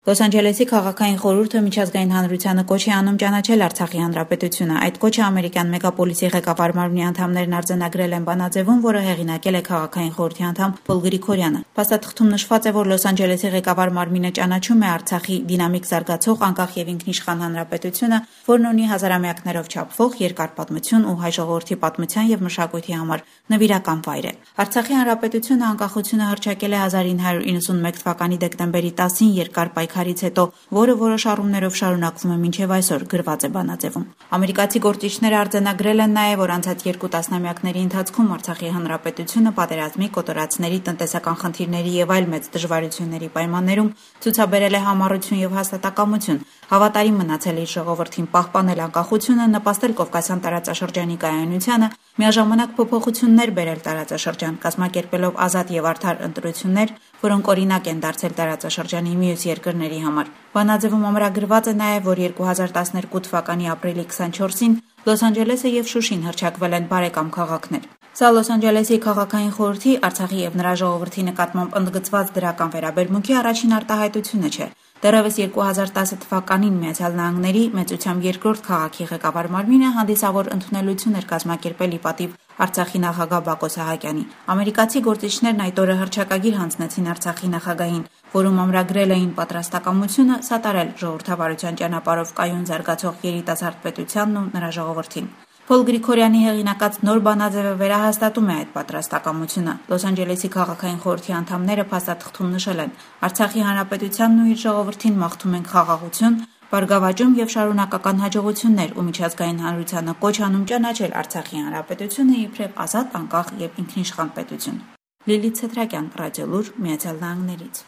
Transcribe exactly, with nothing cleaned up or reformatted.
Լոս Անջելեսի քաղաքային խորհուրդը միջազգային հանրությանը կոչ է անում ճանաչել Արցախի հանրապետությունը։ Այդ կոչը ամերիկյան մեգապոլիսի ղեկավար մարմնի անդամներն արձանագրել են բանաձևում, որը հեղինակել է քաղաքային խորհրդի անդամ Փոլ Գրիգորյանը։ Փաստաթղթում նշված է, որ Լոս Անջելեսի ղեկավար մարմինը ճանաչում է Արցախի դինամիկ զարգացող անկախ եւ ինքնիշխան հանրապետությունը, որն ունի հազարամյակներով չափվող երկար պատմություն ու հայ ժողովրդի պատմության եւ մշակույթի համար նվիրական վայր է։ Արցախի հանրապետությունը անկախությունը հռչակել է հազար ինը հարյուր իննսունմեկ թվականի դեկտեմբերի տասին երկար պայքարից հետո, որը որոշ առումներով շարունակվում է մինչև այսօր, գրված է բանաձևում։ Ամերիկացի գործիչները արձանագրել են նաև, որ անցած երկու տասնամյակների ընթացքում Արցախի հանրապետությունը պատերազմի, կոտորածների, տնտեսական խնդիրների եւ այլ մեծ դժվարությունների պայմաններում ցուցաբերել է համառություն եւ հաստատակամություն, հավատարիմ մնացել իր ժողովրդին պահպանել անկախությունը, նպաստել Կովկասյան տարածաշրջանի կայունությանը, միաժամանակ փոփոխություններ բերել տարածաշրջան, կազմակերպելով ազատ եւ արդար ընտրություններ, որոնք օրինակ են դարձել տարածաշրջանի մյուս երկրների համար։ Բանաձևում ամրագրված է նաև, որ երկու հազար տասներկու թվականի ապրիլի քսանչորսին Լոս Անջելեսը եւ Շուշին հռչակվել են բարեկամ քաղաքներ։ Սա Լոս Անջելեսի քաղաքային խորհրդի Արցախի եւ նրա ժողովրդի նկատմամբ ընդգծված դրական վերաբերմունքի առաջին արտահայտությունը չէ։ Դեռևս երկու հազար տասը թվականին Միացյալ Նահանգների մեծությամբ երկրորդ քաղաքի ղեկավար մարմինը հանդիսավոր ընդունելություն էր կազմակերպել ի պատիվ Արցախի նախագահ Բակո Սահակյանի։ Ամերիկացի գործիչներն այդ օրը հռչակագիր հանձնեցին Արցախի նախագահին, որում ամրագրել էին պատրաստակամությունը սատարել ժողովրդավարության ճանապարհով կայուն զարգացող երիտասարդ պետությանն ու նրա ժողովրդին։ Փոլ Գրիգորյանի հեղինակած նոր բանաձևը վերահաստատում է այդ պատրաստակամությունը։ Լոս Անջելեսի քաղաքային խորհրդի անդամները փաստաթղթում նշել են. Արցախի հանրապետությանն ու իր ժողովրդին մաղթում ենք խաղաղություն, բարգավաճում եւ շարունակական հաջողություններ ու միջազգային հանրությանը կոչ անում ճանաչել Արցախի հանրապետությունը իբրև ազատ, անկախ եւ ինքնիշխան պետություն։ Լիլիթ Սեդրակյան, Ռադիոլուր, Միացյալ Նահանգներից։